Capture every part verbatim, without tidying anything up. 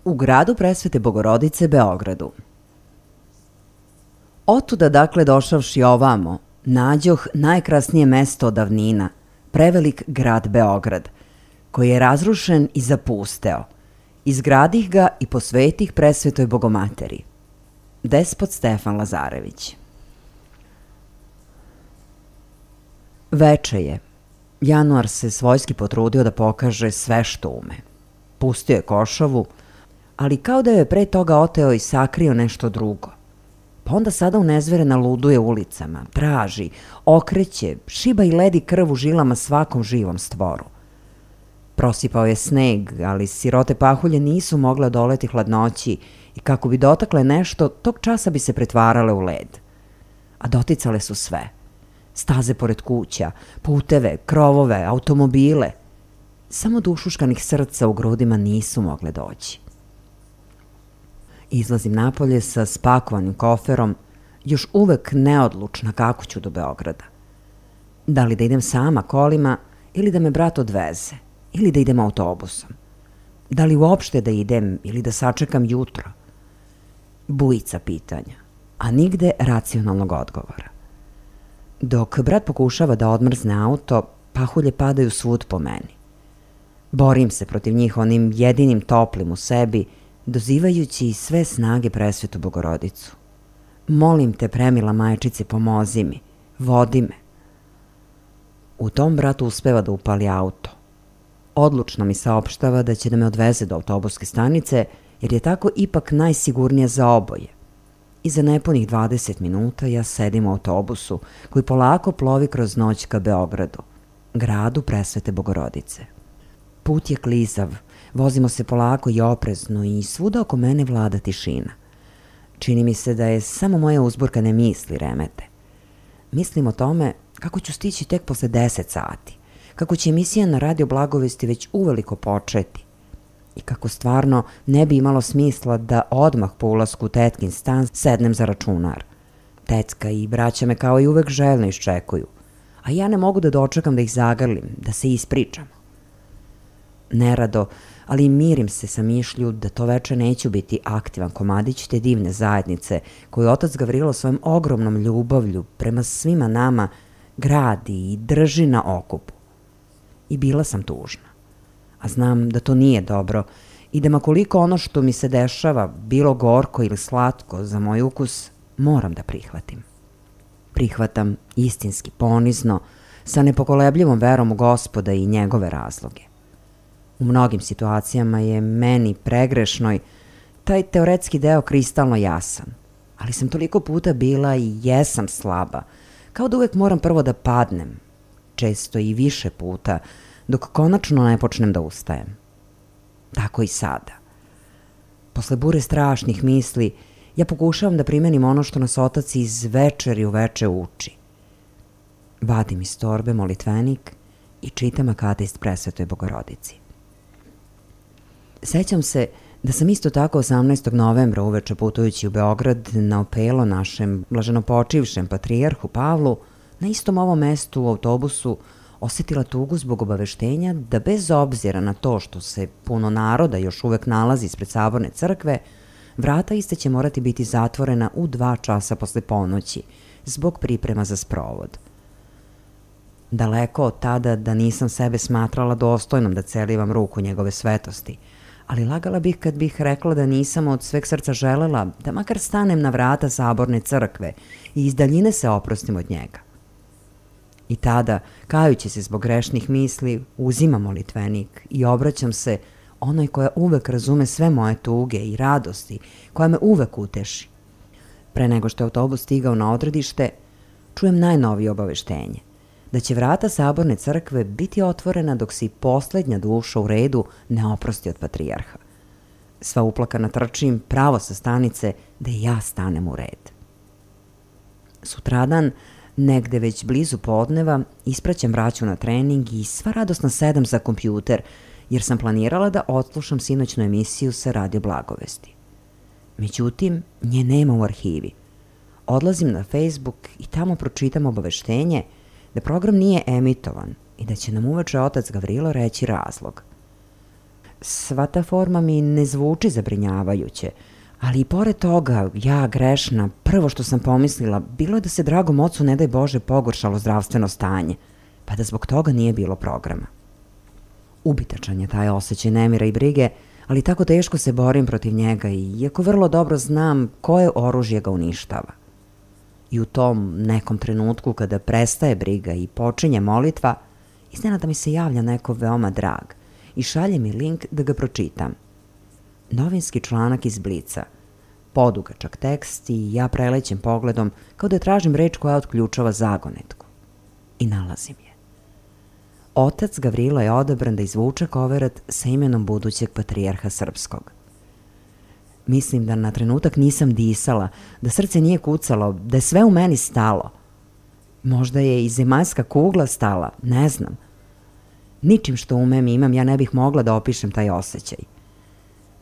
u gradu Presvete Bogorodice, Beogradu. Otuda dakle došavši ovamo, nađoh najkrasnije mesto od davnina, prevelik grad Beograd, koji je razrušen i zapusteo. Izgradih ga i posvetih Presvetoj Bogomateri. Despot Stefan Lazarević. Veče je. Januar se svojski potrudio da pokaže sve što ume. Pustio je košavu, ali kao da je pre toga oteo i sakrio nešto drugo. Pa onda sada unezverena luduje ulicama, traži, okreće, šiba i ledi krv u žilama svakom živom stvoru. Prosipao je sneg, ali sirote pahulje nisu mogle odoleti hladnoći i kako bi dotakle nešto, tog časa bi se pretvarale u led. A doticale su sve. Staze pored kuća, puteve, krovove, automobile. Samo do ušuškanih srca u grudima nisu mogle doći. Izlazim napolje sa spakovanim koferom, još uvek neodlučna kako ću do Beograda. Da li da idem sama kolima ili da me brat odveze, ili da idem autobusom. Da li uopšte da idem ili da sačekam jutro. Bujica pitanja, a nigde racionalnog odgovora. Dok brat pokušava da odmrzne auto, pahulje padaju svud po meni. Borim se protiv njih onim jedinim toplim u sebi, dozivajući sve snage Presvetu Bogorodicu. Molim te, premila majčice, pomozi mi, vodi me. U tom brat uspeva da upali auto. Odlučno mi saopštava da će da me odveze do autobuske stanice, jer je tako ipak najsigurnije za oboje. I za nepunih dvadeset minuta ja sedim u autobusu koji polako plovi kroz noć ka Beogradu, gradu Presvete Bogorodice. Put je klizav, vozimo se polako i oprezno i svuda oko mene vlada tišina. Čini mi se da je samo moje uzburkane misli remete. Mislim o tome kako ću stići tek posle deset sati, kako će emisija na Radio Blagovesti već uveliko početi i kako stvarno ne bi imalo smisla da odmah po ulasku u tetkin stan sednem za računar. Tecka i braća me kao i uvek željno iščekuju, a ja ne mogu da dočekam da ih zagrlim, da se ispričamo. Nerado, ali mirim se sa mišlju da to veče neću biti aktivan komadić te divne zajednice koju otac Gavrilo svojom ogromnom ljubavlju prema svima nama gradi i drži na okupu. I bila sam tužna. A znam da to nije dobro i da makoliko ono što mi se dešava, bilo gorko ili slatko za moj ukus, moram da prihvatim. Prihvatam istinski, ponizno, sa nepokolebljivom verom u Gospoda i njegove razloge. U mnogim situacijama je meni pregrešnoj taj teoretski deo kristalno jasan, ali sam toliko puta bila i jesam slaba, kao da uvek moram prvo da padnem, često i više puta, dok konačno ne počnem da ustajem. Tako i sada. Posle bure strašnih misli, ja pokušavam da primenim ono što nas otac iz večeri u veče uči. Vadim iz torbe molitvenik i čitam Akatist Presvetoj Bogorodici. Sećam se da sam isto tako osamnaestog novembra uveče putujući u Beograd na opelo našem blaženopočivšem patrijarhu Pavlu na istom ovom mestu u autobusu osetila tugu zbog obaveštenja da bez obzira na to što se puno naroda još uvek nalazi ispred Saborne crkve, vrata iste će morati biti zatvorena u dva časa posle ponoći zbog priprema za sprovod. Daleko od tada da nisam sebe smatrala dostojnom da celivam ruku njegove svetosti, ali lagala bih kad bih rekla da nisam od sveg srca želela da makar stanem na vrata Saborne crkve i iz daljine se oprostim od njega. I tada, kajući se zbog grešnih misli, uzimam molitvenik i obraćam se onoj koja uvek razume sve moje tuge i radosti, koja me uvek uteši. Pre nego što je autobus stigao na odredište, čujem najnovije obaveštenje, da će vrata Saborne crkve biti otvorena dok se i poslednja duša u redu ne oprosti od patrijarha. Sva uplakana trčim pravo sa stanice da i ja stanem u red. Sutradan, negde već blizu podneva, ispraćam braću na trening i sva radosna sedam za kompjuter, jer sam planirala da odslušam sinoćnu emisiju sa Radio Blagovesti. Međutim, nje nema u arhivi. Odlazim na Facebook i tamo pročitam obaveštenje da program nije emitovan i da će nam uveče otac Gavrilo reći razlog. Sva ta forma mi ne zvuči zabrinjavajuće, ali i pored toga, ja grešna, prvo što sam pomislila, bilo je da se dragom ocu, ne daj Bože, pogoršalo zdravstveno stanje, pa da zbog toga nije bilo programa. Ubitačan je taj osjećaj nemira i brige, ali tako teško se borim protiv njega i iako vrlo dobro znam koje oružje ga uništava. I u tom nekom trenutku kada prestaje briga i počinje molitva, iznenada mi se javlja neko veoma drag i šalje mi link da ga pročitam. Novinski članak iz Blica, podugačak tekst i ja prelećem pogledom kao da tražim reč koja otključava zagonetku. I nalazim je. Otac Gavrilo je odabran da izvuče koverat sa imenom budućeg patrijarha srpskog. Mislim da na trenutak nisam disala, da srce nije kucalo, da je sve u meni stalo. Možda je i zemaljska kugla stala, ne znam. Ničim što umem i imam ja ne bih mogla da opišem taj osjećaj.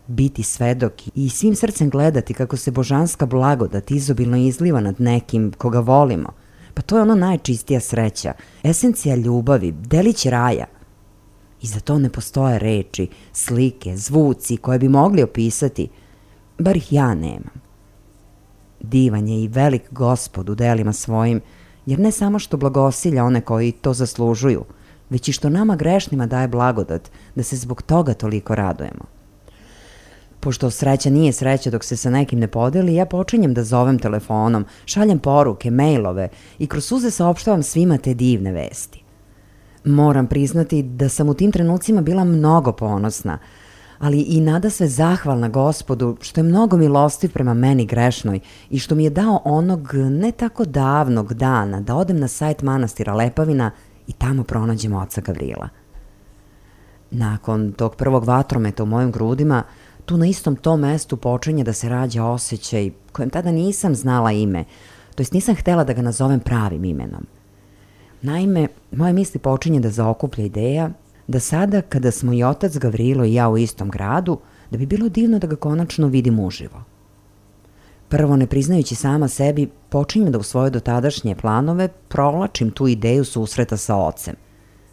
Biti svedok i svim srcem gledati kako se božanska blagodat izobilno izliva nad nekim koga volimo, pa to je ono najčistija sreća, esencija ljubavi, delić raja. I za to ne postoje reči, slike, zvuci koje bi mogli opisati, bar ih ja nemam. Divan je i velik Gospod u delima svojim, jer ne samo što blagosilja one koji to zaslužuju, već i što nama grešnima daje blagodat da se zbog toga toliko radujemo. Pošto sreća nije sreća dok se sa nekim ne podeli, ja počinjem da zovem telefonom, šaljem poruke, mailove i kroz suze saopštavam svima te divne vesti. Moram priznati da sam u tim trenucima bila mnogo ponosna, ali i nadasve zahvalna Gospodu što je mnogo milostiv prema meni grešnoj i što mi je dao onog ne tako davnog dana da odem na sajt manastira Lepavina i tamo pronađem oca Gavrila. Nakon tog prvog vatrometa u mojim grudima, tu na istom tom mestu počinje da se rađa osjećaj kojem tada nisam znala ime, to jest nisam htela da ga nazovem pravim imenom. Naime, moje misli počinje da zaokuplja ideja da sada, kada smo i otac Gavrilo i ja u istom gradu, da bi bilo divno da ga konačno vidim uživo. Prvo, ne priznajući sama sebi, počinjem da u svoje dotadašnje planove provlačim tu ideju susreta sa ocem,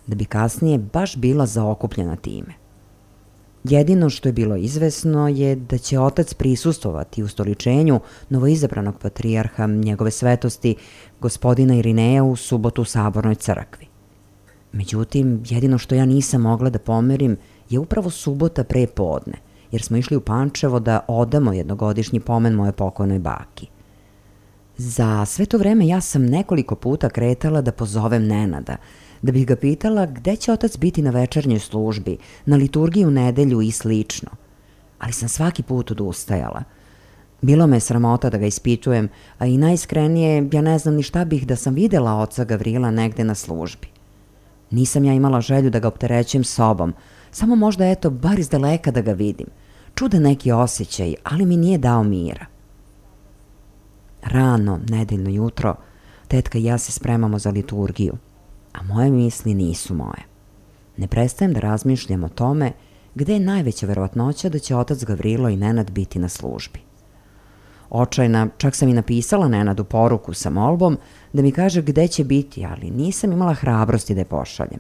da bi kasnije baš bila zaokupljena time. Jedino što je bilo izvesno je da će otac prisustvovati ustoličenju novoizabranog patrijarha njegove svetosti, gospodina Irineja, u subotu u Sabornoj crkvi. Međutim, jedino što ja nisam mogla da pomerim je upravo subota pre podne, jer smo išli u Pančevo da odamo jednogodišnji pomen moje pokojnoj baki. Za sve to vreme ja sam nekoliko puta kretala da pozovem Nenada, da bih ga pitala gde će otac biti na večernjoj službi, na liturgiji u nedelju i slično. Ali sam svaki put odustajala. Bilo me je sramota da ga ispitujem, a i najiskrenije ja ne znam ni šta bih da sam videla oca Gavrila negde na službi. Nisam ja imala želju da ga opterećujem sobom, samo možda eto bar iz daleka da ga vidim. Čudan neki osjećaj, ali mi nije dao mira. Rano, nedeljno jutro, tetka i ja se spremamo za liturgiju, a moje misli nisu moje. Ne prestajem da razmišljam o tome gde je najveća verovatnoća da će otac Gavrilo i Nenad biti na službi. Očajna, čak sam i napisala Nenadu poruku sa molbom da mi kaže gde će biti, ali nisam imala hrabrosti da je pošaljem.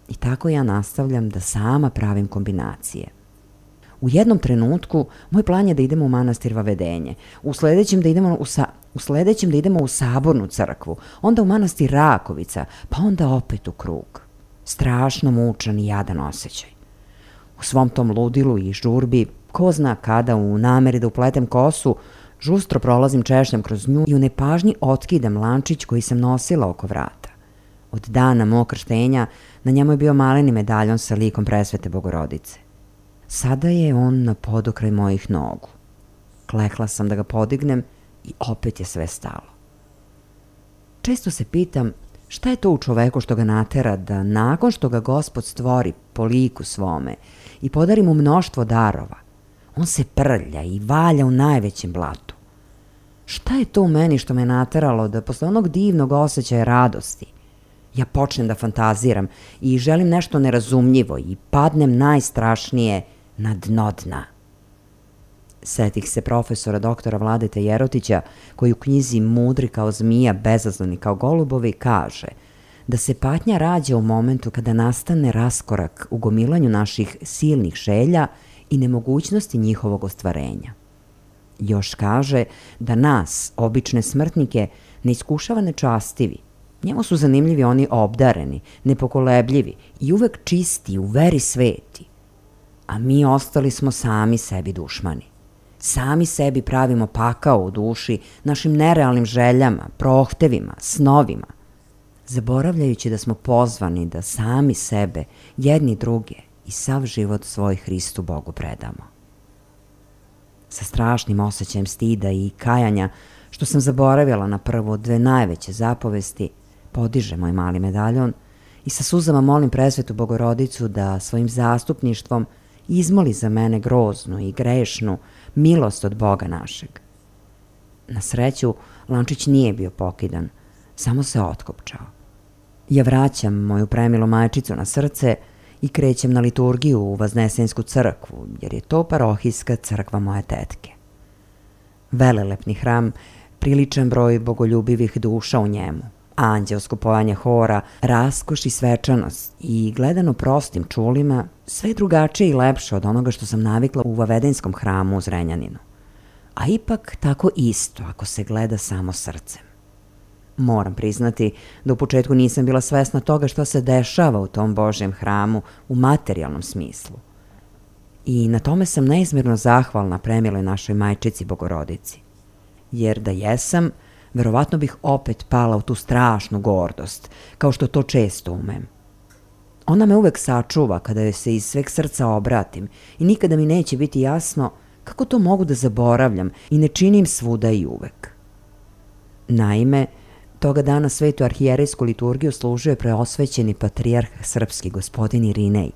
I tako ja nastavljam da sama pravim kombinacije. U jednom trenutku moj plan je da idemo u manastir Vavedenje, u sledećem da idemo u, sa, u sledećem da idemo u Sabornu crkvu, onda u manastir Rakovica, pa onda opet u krug. Strašno mučan i jadan osjećaj. U svom tom ludilu i žurbi, ko zna kada, u nameri da upletem kosu, žustro prolazim češnjam kroz nju i u nepažnji otkidam lančić koji sam nosila oko vrata. Od dana mog krštenja na njemu je bio maleni medaljon sa likom Presvete Bogorodice. Sada je on na podokraj mojih nogu. Klekla sam da ga podignem i opet je sve stalo. Često se pitam šta je to u čoveku što ga natera da nakon što ga Gospod stvori po liku svome i podari mu mnoštvo darova, on se prlja i valja u najvećem blatu. Šta je to u meni što me nateralo da posle onog divnog osjećaja radosti ja počnem da fantaziram i želim nešto nerazumljivo i padnem najstrašnije na dno dna? Setih se profesora doktora Vladete Jerotića koji u knjizi Mudri kao zmija, bezazleni kao golubovi kaže da se patnja rađa u momentu kada nastane raskorak u gomilanju naših silnih želja i nemogućnosti njihovog ostvarenja. Još kaže da nas, obične smrtnike, ne iskušava nečastivi. Njemu su zanimljivi oni obdareni, nepokolebljivi i uvek čisti, u veri sveti. A mi ostali smo sami sebi dušmani. Sami sebi pravimo pakao u duši našim nerealnim željama, prohtevima, snovima, zaboravljajući da smo pozvani da sami sebe, jedni druge i sav život svoj Hristu Bogu predamo. Sa strašnim osjećajem stida i kajanja, što sam zaboravila na prvo dve najveće zapovesti, podiže moj mali medaljon i sa suzama molim presvetu Bogorodicu da svojim zastupništvom izmoli za mene groznu i grešnu milost od Boga našeg. Na sreću, lančić nije bio pokidan, samo se otkopčao. Ja vraćam moju premilu majčicu na srce i krećem na liturgiju u Vaznesensku crkvu, jer je to parohijska crkva moje tetke. Velelepni hram, priličan broj bogoljubivih duša u njemu, anđelsko pojanje hora, raskoš i svečanost i gledano prostim čulima, sve je drugačije i lepše od onoga što sam navikla u Vavedenskom hramu u Zrenjaninu. A ipak tako isto ako se gleda samo srcem. Moram priznati da u početku nisam bila svesna toga što se dešava u tom Božjem hramu u materijalnom smislu. I na tome sam neizmjerno zahvalna premiloj našoj majčici Bogorodici. Jer da jesam, verovatno bih opet pala u tu strašnu gordost, kao što to često umem. Ona me uvek sačuva kada joj se iz sveg srca obratim i nikada mi neće biti jasno kako to mogu da zaboravljam i ne činim svuda i uvek. Naime, toga dana svetu arhijerejsku liturgiju služio je preosvećeni patrijarh srpski gospodin Irinej.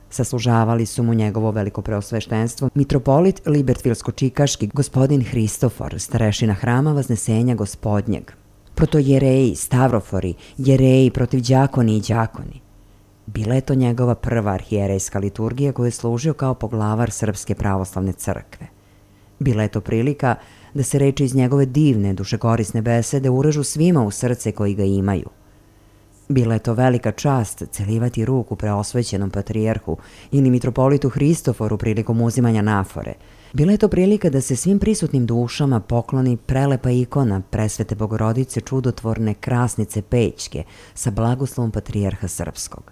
Saslužavali su mu njegovo veliko preosveštenstvo mitropolit Libertvilsko-čikaški gospodin Hristofor, starešina hrama Vaznesenja gospodnjeg, protojereji, stavrofori, jereji protiv đakoni i đakoni. Bila je to njegova prva arhijerejska liturgija koju je služio kao poglavar Srpske pravoslavne crkve. Bila je to prilika da se reči iz njegove divne, dušekorisne besede urežu svima u srce koji ga imaju. Bila je to velika čast celivati ruku preosvećenom patrijarhu ili mitropolitu Hristoforu prilikom uzimanja nafore. Bila je to prilika da se svim prisutnim dušama pokloni prelepa ikona presvete Bogorodice čudotvorne krasnice Pećke sa blagoslovom patrijarha srpskog.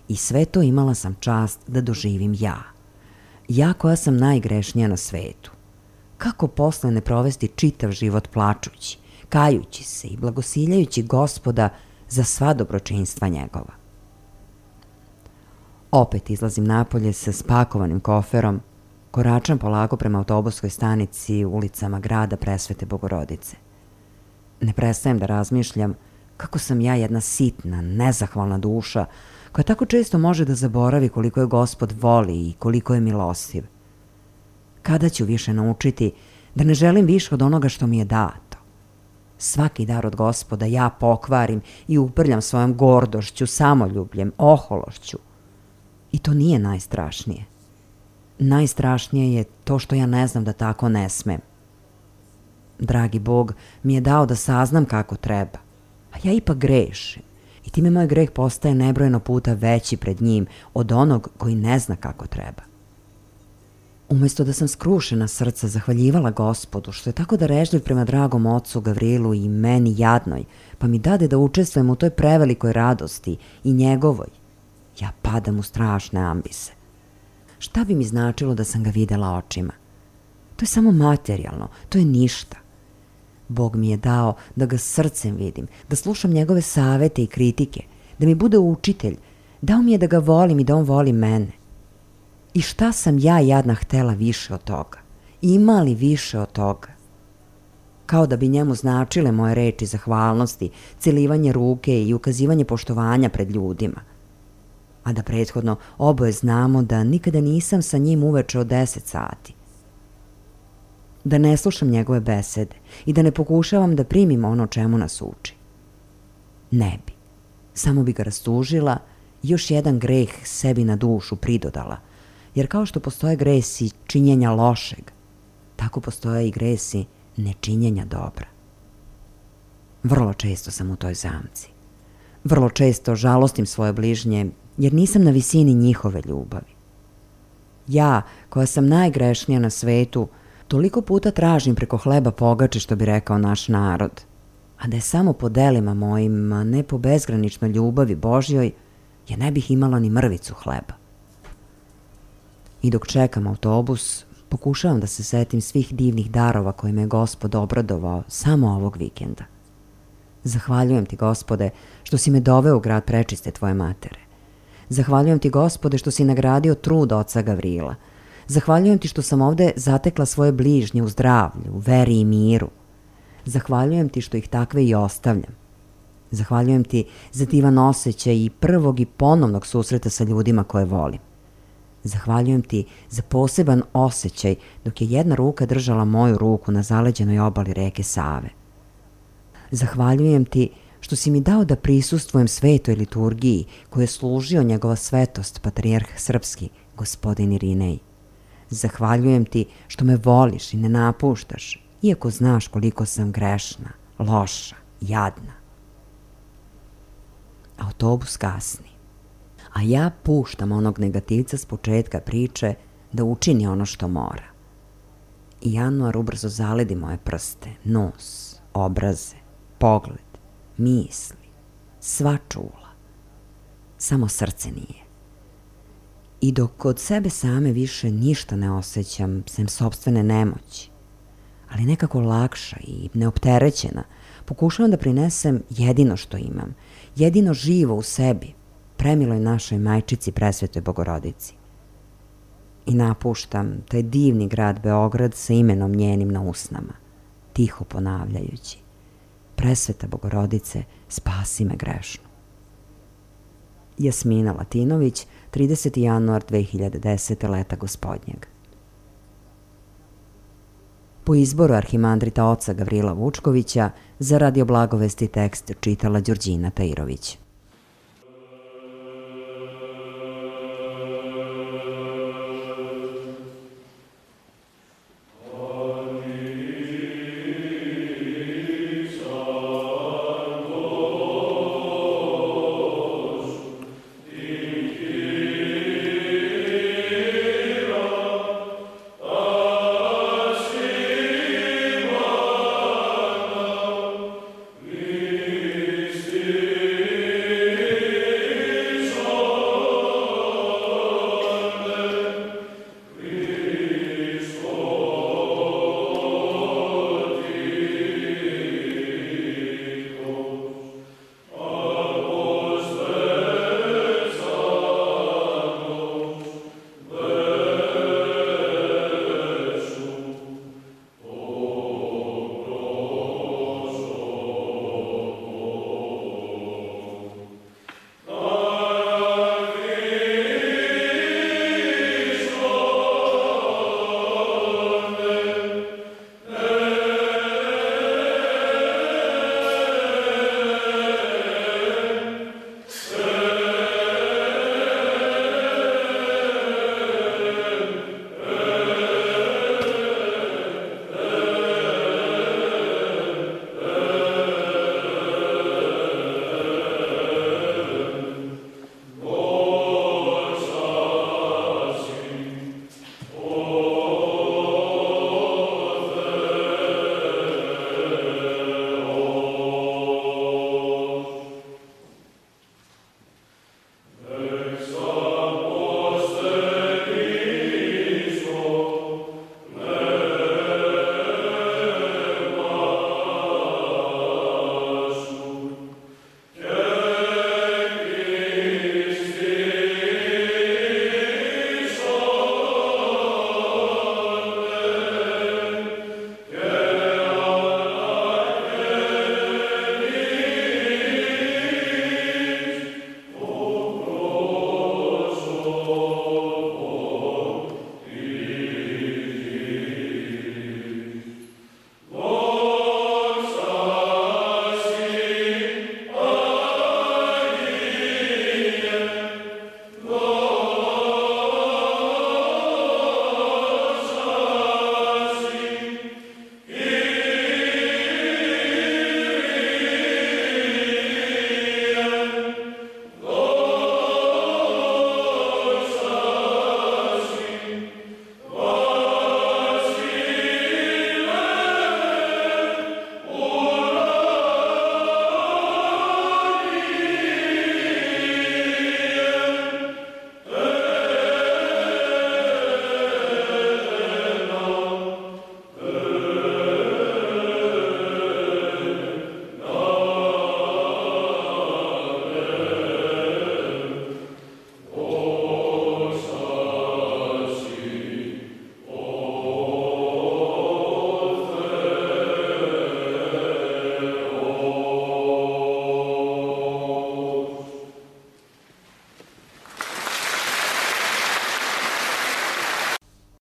I sve to imala sam čast da doživim ja. Ja koja sam najgrešnija na svetu. Kako posle ne provesti čitav život plačući, kajući se i blagosiljajući Gospoda za sva dobročinstva njegova. Opet izlazim napolje sa spakovanim koferom, koračam polako prema autobuskoj stanici ulicama grada presvete Bogorodice. Ne prestajem da razmišljam kako sam ja jedna sitna, nezahvalna duša koja tako često može da zaboravi koliko je Gospod voli i koliko je milostiv. Kada ću više naučiti da ne želim više od onoga što mi je dato? Svaki dar od Gospoda ja pokvarim i uprljam svojom gordošću, samoljubljem, ohološću. I to nije najstrašnije. Najstrašnije je to što ja ne znam da tako ne smem. Dragi Bog mi je dao da saznam kako treba, a ja ipak grešim i time moj greh postaje nebrojeno puta veći pred njim od onog koji ne zna kako treba. Umesto da sam skrušena srca zahvaljivala Gospodu što je tako darežljiv prema dragom ocu Gavrilu i meni jadnoj, pa mi dade da učestvujem u toj prevelikoj radosti i njegovoj, ja padam u strašne ambise. Šta bi mi značilo da sam ga videla očima? To je samo materijalno, to je ništa. Bog mi je dao da ga srcem vidim, da slušam njegove savete i kritike, da mi bude učitelj, dao mi je da ga volim i da on voli mene. I šta sam ja jadna htela više od toga? Ima li više od toga? Kao da bi njemu značile moje reči zahvalnosti, celivanje ruke i ukazivanje poštovanja pred ljudima. A da prethodno oboje znamo da nikada nisam sa njim uveče od deset sati. Da ne slušam njegove besede i da ne pokušavam da primim ono čemu nas uči. Ne bi. Samo bi ga rastužila i još jedan greh sebi na dušu pridodala, jer kao što postoje gresi činjenja lošeg, tako postoje i gresi nečinjenja dobra. Vrlo često sam u toj zamci. Vrlo često žalostim svoje bližnje jer nisam na visini njihove ljubavi. Ja, koja sam najgrešnija na svetu, toliko puta tražim preko hleba pogače, što bi rekao naš narod, a da je samo po delima mojim, a ne po bezgraničnoj ljubavi Božjoj, ja ne bih imala ni mrvicu hleba. I dok čekam autobus, pokušavam da se setim svih divnih darova koje me je Gospod obradovao samo ovog vikenda. Zahvaljujem ti, Gospode, što si me doveo u grad prečiste tvoje matere. Zahvaljujem ti, Gospode, što si nagradio trud oca Gavrila. Zahvaljujem ti što sam ovde zatekla svoje bližnje u zdravlju, u veri i miru. Zahvaljujem ti što ih takve i ostavljam. Zahvaljujem ti za divan osjećaj i prvog i ponovnog susreta sa ljudima koje volim. Zahvaljujem ti za poseban osjećaj dok je jedna ruka držala moju ruku na zaleđenoj obali reke Save. Zahvaljujem ti što si mi dao da prisustvujem svetoj liturgiji koju je služio njegova svetost, patrijarh srpski, gospodin Irinej. Zahvaljujem ti što me voliš i ne napuštaš, iako znaš koliko sam grešna, loša, jadna. Autobus kasni, a ja puštam onog negativca s početka priče da učini ono što mora. I januar ubrzo zaledi moje prste, nos, obraze, pogled, misli, sva čula. Samo srce nije. I dok od sebe same više ništa ne osjećam, sem sopstvene nemoći, ali nekako lakša i neopterećena, pokušavam da prinesem jedino što imam, jedino živo u sebi, premiloj našoj majčici presvetoj Bogorodici. I napuštam taj divni grad Beograd sa imenom njenim na usnama, tiho ponavljajući: Presveta Bogorodice, spasi me grešnu. Jasmina Latinović, trideseti januar dve hiljade desete. leta gospodnjeg. Po izboru arhimandrita oca Gavrila Vučkovića, za Radio Blagovesti tekst čitala Đurđina Tajirović.